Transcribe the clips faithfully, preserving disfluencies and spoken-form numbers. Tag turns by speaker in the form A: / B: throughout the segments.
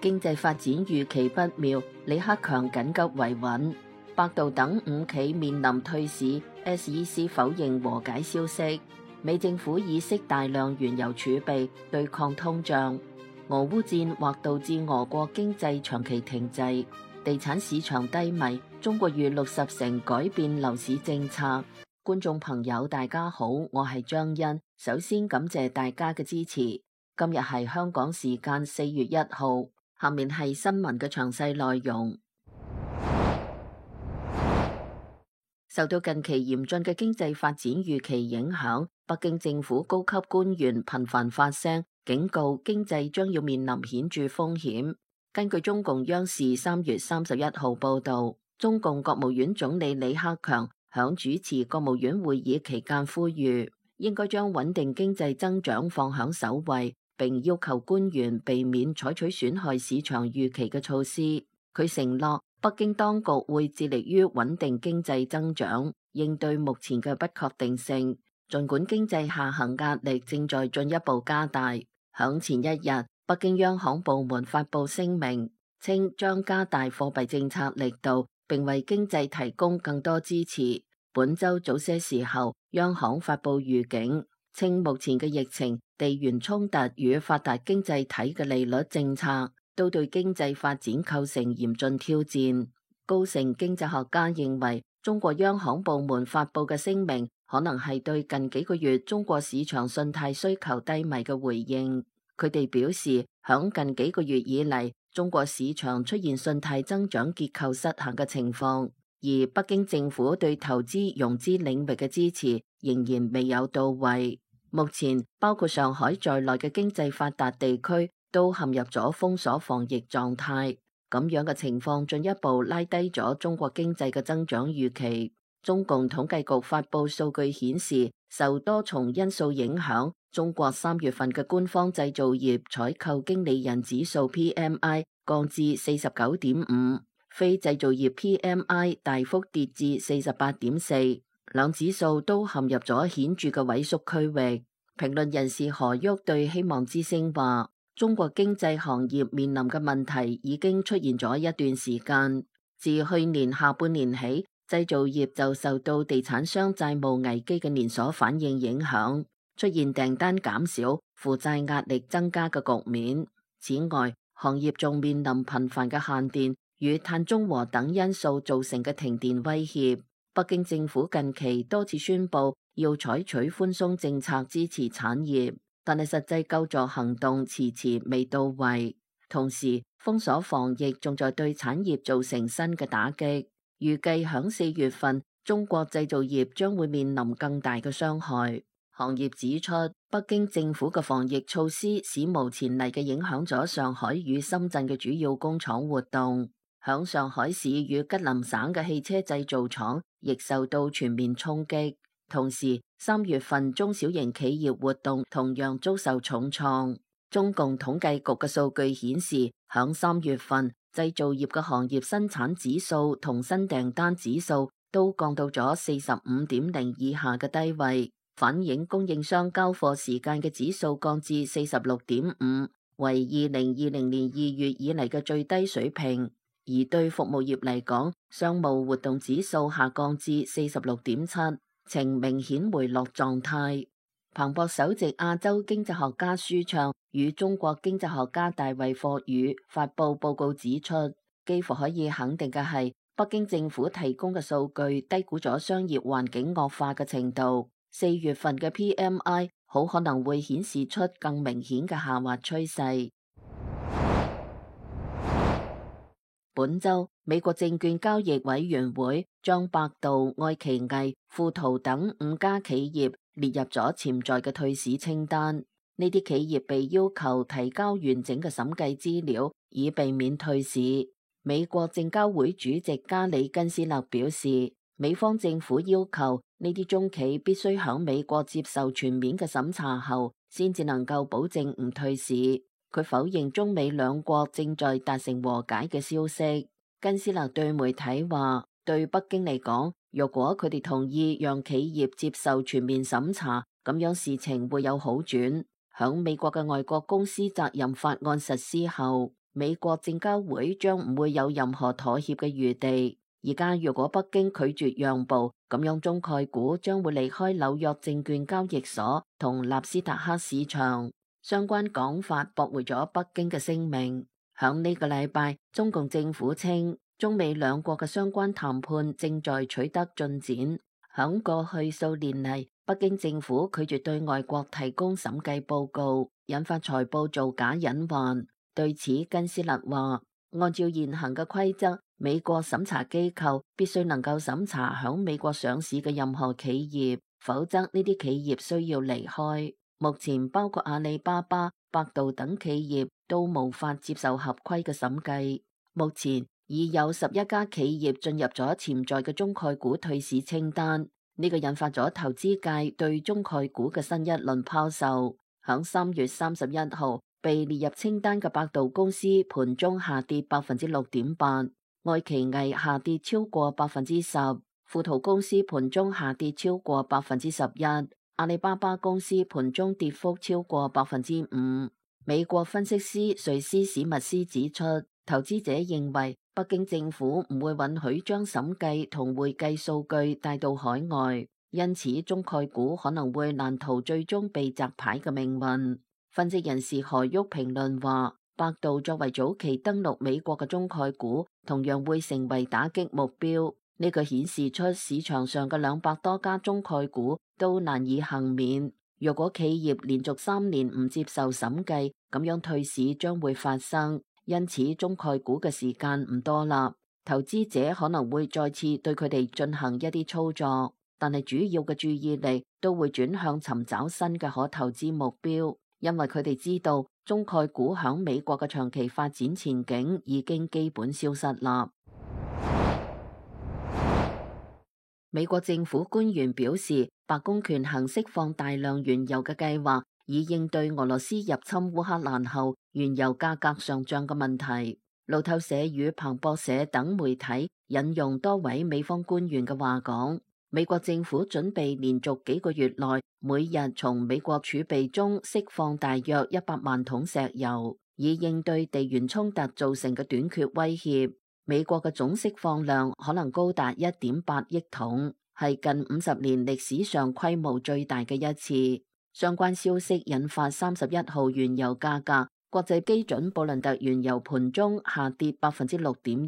A: 經濟發展預期不妙，李克強緊急維穩。百度等五企面臨退市 ，S E C 否認和解消息。美政府意識大量原油儲備對抗通脹。俄烏戰或導致俄國經濟長期停滯。地產市場低迷，中國逾六十城改變樓市政策。觀眾朋友大家好，我係張欣，首先感謝大家嘅支持。今日係香港時間四月一號，下面係新聞嘅詳細內容。受到近期嚴峻嘅經濟發展預期影響，北京政府高級官員頻繁發聲，警告經濟將要面臨顯著風險。根據中共央視三月三十一號報導，中共國務院總理李克強響主持國務院會議期間呼籲，應該將穩定經濟增長放響首位，並要求官員避免採取損害市場預期嘅措施。佢承諾，北京當局會致力於穩定經濟增長，應對目前嘅不確定性。儘管經濟下行壓力正在進一步加大，響前一日，北京央行部門發布聲明，稱將加大貨幣政策力度，並為經濟提供更多支持。本週早些時候，央行發布預警，稱目前嘅疫情、地緣衝突與發達經濟體嘅利率政策，都對經濟發展構成嚴峻挑戰。高盛經濟學家認為，中國央行部門發布嘅聲明，可能係對近幾個月中國市場信貸需求低迷嘅回應。佢哋表示，響近幾個月以嚟，中國市場出現信貸增長結構失衡嘅情況，而北京政府對投資融資領域嘅支持仍然未有到位。目前，包括上海在內嘅經濟發達地區都陷入咗封鎖防疫狀態，咁樣嘅情況進一步拉低咗中國經濟嘅增長預期。中共統計局發布數據顯示，受多重因素影響，中國三月份嘅官方製造業採購經理人指數 P M I 降至四十九點五，非製造業 P M I 大幅跌至四十八點四，兩指數都陷入咗顯著嘅萎縮區域。評論人士何旭對希望之聲話，中國經濟行業面臨嘅問題已經出現咗一段時間，自去年下半年起，製造業就受到地產商債務危機嘅連鎖反應影響，出現訂單減少、負債壓力增加嘅局面。此外，行業仲面臨頻繁嘅限電與碳中和等因素造成嘅停電威脅。北京政府近期多次宣布要採取寬鬆政策支持產業，但係實際救助行動遲遲未到位。同時，封鎖防疫仲在對產業造成新嘅打擊。預計響四月份，中國製造業將會面臨更大嘅傷害。行業指出，北京政府嘅防疫措施史無前例嘅影響咗上海與深圳嘅主要工廠活動。響上海市與吉林省嘅汽車製造廠亦受到全面衝擊。同時，三月份中小型企業活動同樣遭受重創。中共統計局嘅數據顯示，響三月份，製造業嘅行業生產指數同新訂單指數都降到咗四十五點零以下嘅低位，反映供應商交貨時間嘅指數降至四十六點五，為二零二零年二月以嚟嘅最低水平。而對服務業嚟講，商務活動指數下降至四十六點七，呈明顯回落狀態。彭博首席亞洲經濟學家舒暢與中國經濟學家大衛霍宇發布報告指出，幾乎可以肯定嘅係，北京政府提供嘅數據低估咗商業環境惡化嘅程度。四月份嘅 P M I 好可能會顯示出更明顯嘅下滑趨勢。本週，美國證券交易委員會將百度、愛奇藝、富途等五家企業列入咗潛在嘅退市清單。呢啲企業被要求提交完整嘅審計資料，以避免退市。美國證交會主席加里根斯勒表示，美方政府要求呢啲中企必須響美國接受全面嘅審查後，先至能夠保證唔退市。佢否認中美兩國正在達成和解嘅消息。根斯勒對媒體話，對北京嚟講，若果佢哋同意讓企業接受全面審查，咁樣事情會有好轉。響美國嘅外國公司責任法案實施後，美國證交會將唔會有任何妥協嘅餘地。而家如果北京拒絕讓步，咁樣中概股將會離開紐約證券交易所同納斯達克市場。相關講法駁回咗北京嘅聲明。響呢個禮拜，中共政府稱中美兩國嘅相關談判正在取得進展。響過去數年嚟，北京政府拒絕對外國提供審計報告，引發財報造假隱患。對此，根斯勒話，按照現行嘅規則，美國審查機構必須能夠審查響美國上市嘅任何企業，否則呢啲企業需要離開。目前包括阿里巴巴、百度等企業都無法接受合規嘅審計。目前已有十一家企業進入咗潛在嘅中概股退市清單，呢個引發咗投資界對中概股嘅新一輪拋售。響三月三十一號被列入清單嘅百度公司盤中下跌百分之六點八，愛奇藝下跌超過百分之十，富途公司盤中下跌超過百分之十一，阿里巴巴公司盤中跌幅超過百分之五。美國分析師瑞斯史密斯指出，投資者認為北京政府唔會允許將審計同會計數據帶到海外，因此中概股可能會難逃最終被摘牌嘅命運。分析人士何旭評論話，百度作為早期登陸美國嘅中概股，同樣會成為打擊目標。呢個顯示出市場上嘅兩百多家中概股都難以幸免。若果企業連續三年唔接受審計，咁樣退市將會發生。因此中概股嘅時間唔多啦，投資者可能會再次對佢哋進行一啲操作，但係主要嘅注意力都會轉向尋找新嘅可投資目標，因為佢哋知道中概股響美國嘅長期發展前景已經基本消失啦。美國政府官員表示，白宮權衡釋放大量原油嘅計劃，以應對俄羅斯入侵烏克蘭後原油價格上漲嘅問題。路透社與彭博社等媒體引用多位美方官員嘅話講，美國政府準備連續幾個月內每日從美國儲備中釋放大約一百萬桶石油，以應對地緣衝突造成嘅短缺威脅。美國嘅總釋放量可能高達一點八億桶，係近五十年歷史上規模最大嘅一次。相關消息引發三十一號原油價格，國際基準布倫特原油盤中下跌百分之六點一，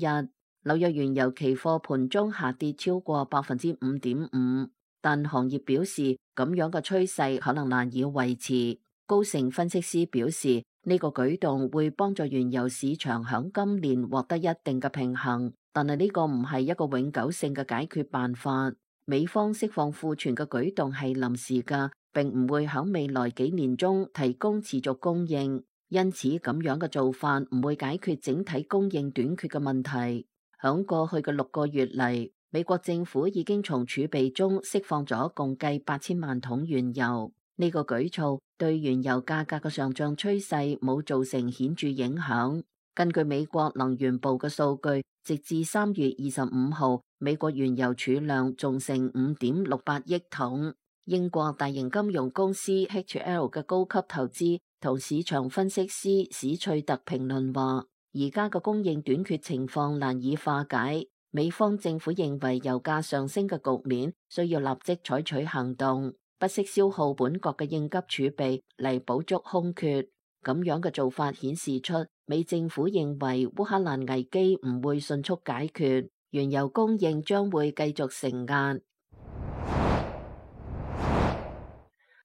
A: 紐約原油期貨盤中下跌超過百分之五點五。但行業表示，咁樣嘅趨勢可能難以維持。高盛分析師表示，呢個舉動會幫助原油市場響今年獲得一定嘅平衡，但係呢個唔係一個永久性嘅解決辦法。美方釋放庫存嘅舉動係臨時㗎，並唔會響未來幾年中提供持續供應，因此咁樣嘅做法唔會解決整體供應短缺嘅問題。響過去嘅六個月嚟，美國政府已經從儲備中釋放咗共計八千萬桶原油。呢個舉措對原油價格嘅上漲趨勢冇造成顯著影響。根據美國能源部嘅數據，直至三月二十五號，美國原油儲量仲剩五點六八億桶。英國大型金融公司 H L 嘅高級投資同市場分析師史翠特評論話，而家嘅供應短缺情況難以化解。美方政府認為油價上升嘅局面需要立即採取行動，不惜消耗本國嘅應急儲備嚟補足空缺。咁樣嘅做法顯示出美政府認為烏克蘭危機唔會迅速解決，原油供應將會繼續承壓。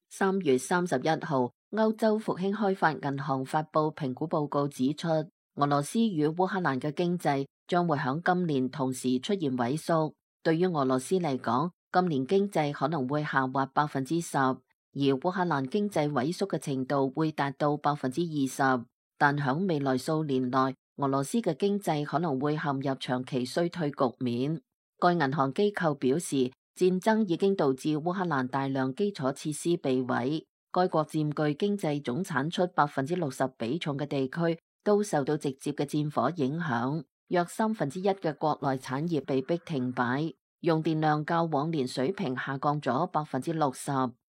A: 三月三十一號，歐洲復興開發銀行發佈評估報告指出，俄羅斯與烏克蘭嘅經濟將會響今年同時出現萎縮。對於俄羅斯嚟講，今年經濟可能會下滑百分之十，而烏克蘭經濟萎縮嘅程度會達到百分之二十。但響未來數年內，俄羅斯嘅經濟可能會陷入長期衰退局面。該銀行機構表示，戰爭已經導致烏克蘭大量基礎設施被毀，該國佔據經濟總產出百分之六十比重嘅地區都受到直接嘅戰火影響，約三分之一嘅國內產業被迫停擺，用電量較往年水平下降咗百分之六十。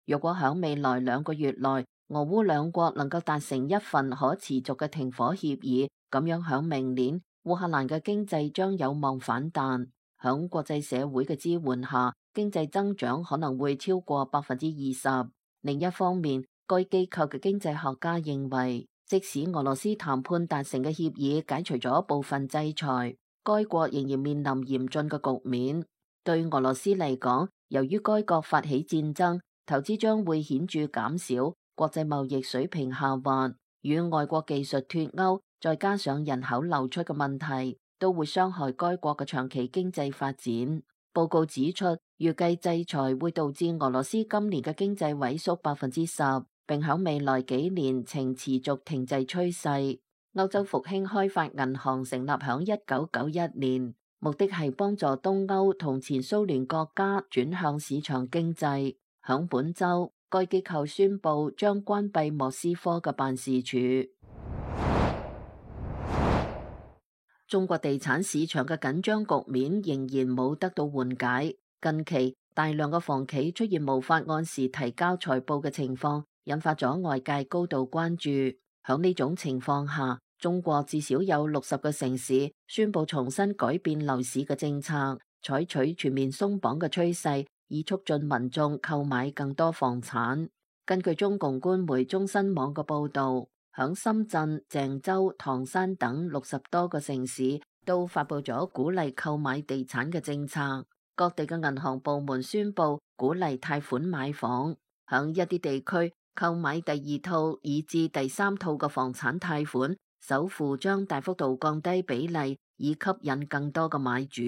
A: 若果響未來兩個月內，俄烏兩國能夠達成一份可持續嘅停火協議，咁樣響明年，烏克蘭嘅經濟將有望反彈。響國際社會嘅支援下，經濟增長可能會超過百分之二十。另一方面，該機構嘅經濟學家認為，即使俄羅斯談判達成嘅協議解除咗部分制裁，該國仍然面臨嚴峻嘅局面。對俄羅斯嚟講，由於該國發起戰爭，投資將會顯著減少，國際貿易水平下滑，與外國技術脫鈎，再加上人口流出嘅問題，都會傷害該國嘅長期經濟發展。報告指出，預計制裁會導致俄羅斯今年嘅經濟萎縮百分之十，並喺未來幾年呈持續停滯趨勢。歐洲復興開發銀行成立喺一九九一年，目的係幫助東歐同前蘇聯國家轉向市場經濟。喺本週，該機構宣布將關閉莫斯科嘅辦事處。中國地產市場嘅緊張局面仍然冇得到緩解。近期大量嘅房企出現無法按時提交財報嘅情況，引發咗外界高度關注。喺呢種情況下，中國至少有六十個城市宣布重新改變樓市嘅政策，採取全面鬆綁嘅趨勢，以促進民眾購買更多房產。根據中共官媒中新網嘅報導，響深圳、鄭州、唐山等六十多個城市都發佈咗鼓勵購買地產嘅政策。各地嘅銀行部門宣布鼓勵貸款買房，響一啲地區購買第二套以至第三套嘅房產貸款，首付將大幅度降低比例，以吸引更多嘅買主。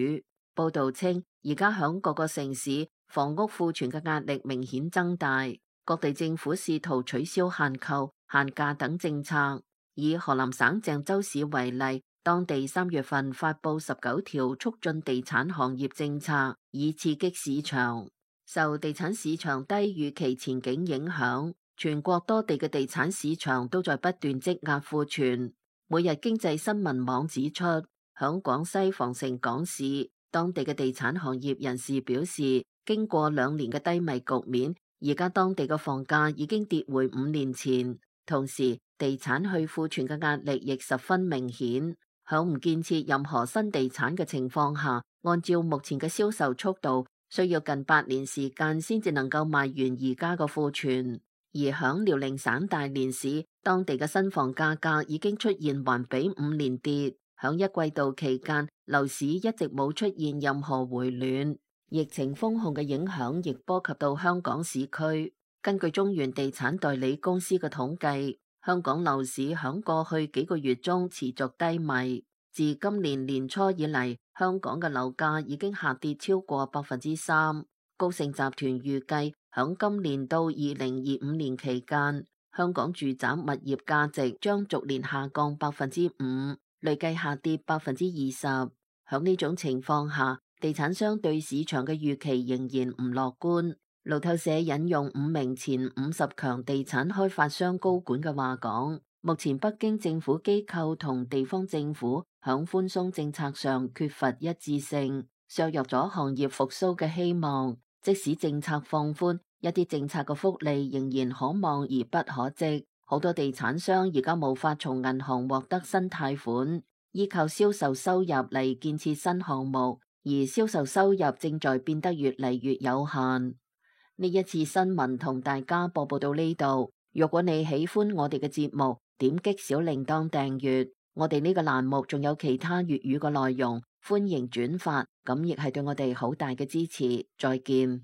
A: 報導稱，而家響各個城市房屋庫存嘅壓力明顯增大，各地政府試圖取消限購、限價等政策。以河南省鄭州市為例，當地三月份發佈十九條促進地產行業政策，以刺激市場。受地產市場低預期前景影響，全國多地嘅地產市場都在不斷積壓庫存。每日經濟新聞網指出，響廣西防城港市，當地嘅地產行業人士表示，經過兩年嘅低迷局面，而家當地嘅房價已經跌回五年前。同時，地產去庫存嘅壓力亦十分明顯。響唔建設任何新地產嘅情況下，按照目前嘅銷售速度，需要近八年時間先至能夠賣完而家嘅庫存。而響遼寧省大連市，當地嘅新房價格已經出現環比五年跌。響一季度期間，樓市一直冇出現任何回暖。疫情封控嘅影響亦波及到香港市區。根據中原地產代理公司嘅統計，香港樓市響過去幾個月中持續低迷。自今年年初以嚟，香港嘅樓價已經下跌超過百分之三。高盛集團預計響今年到二零二五年期間，香港住宅物業價值將逐年下降百分之五，累計下跌百分之二十。響呢種情況下，地產商對市場嘅預期仍然唔樂觀。路透社引用五名前五十強地產開發商高管嘅話講，目前北京政府機構同地方政府響寬鬆政策上缺乏一致性，削弱咗行業復甦嘅希望。即使政策放寬，一啲政策嘅福利仍然可望而不可即。好多地產商而家無法從銀行獲得新貸款，依靠銷售收入嚟建設新項目，而銷售收入正在變得越嚟越有限。呢一次新聞同大家播報到呢度。如果你喜歡我哋嘅節目，點擊小鈴鐺訂閱。我哋呢個欄目仲有其他粵語嘅內容，歡迎轉發，咁亦係對我哋好大嘅支持。再見。